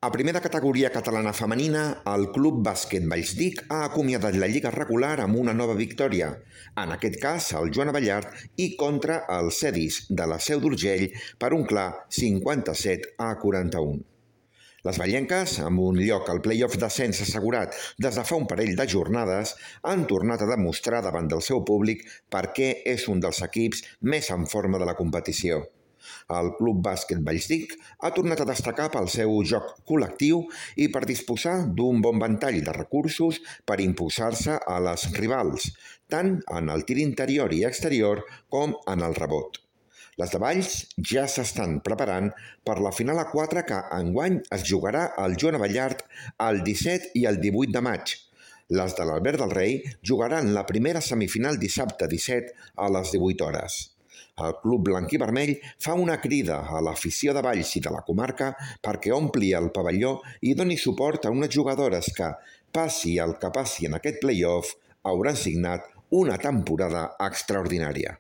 A primera categoria catalana femenina, el Club Bàsquet Vallsdic ha acomiadat la lliga regular amb una nova victòria, en aquest cas el Joan Abellart i contra el Cedis de la Seu d'Urgell per un clar 57-41. Les vallenques, amb un lloc al play-off d'ascens assegurat des de fa un parell de jornades, han tornat a demostrar davant del seu públic per què és un dels equips més en forma de la competició. El Club Bàsquet Vallsdic ha tornat a destacar pel seu joc col·lectiu i per disposar d'un bon ventall de recursos per imposar-se a les rivals, tant en el tir interior i exterior com en el rebot. Les de Valls ja s'estan preparant per la final A4 que enguany es jugarà al Joan Abellart el 17 i el 18 de maig. Les de l'Albert del Rei jugaran la primera semifinal dissabte 17 a les 18 hores. El Club Blanc i Vermell fa una crida a l'afició de Valls i de la comarca perquè ompli el pavelló i doni suport a unes jugadores que, passi el que passi en aquest play-off, hauran signat una temporada extraordinària.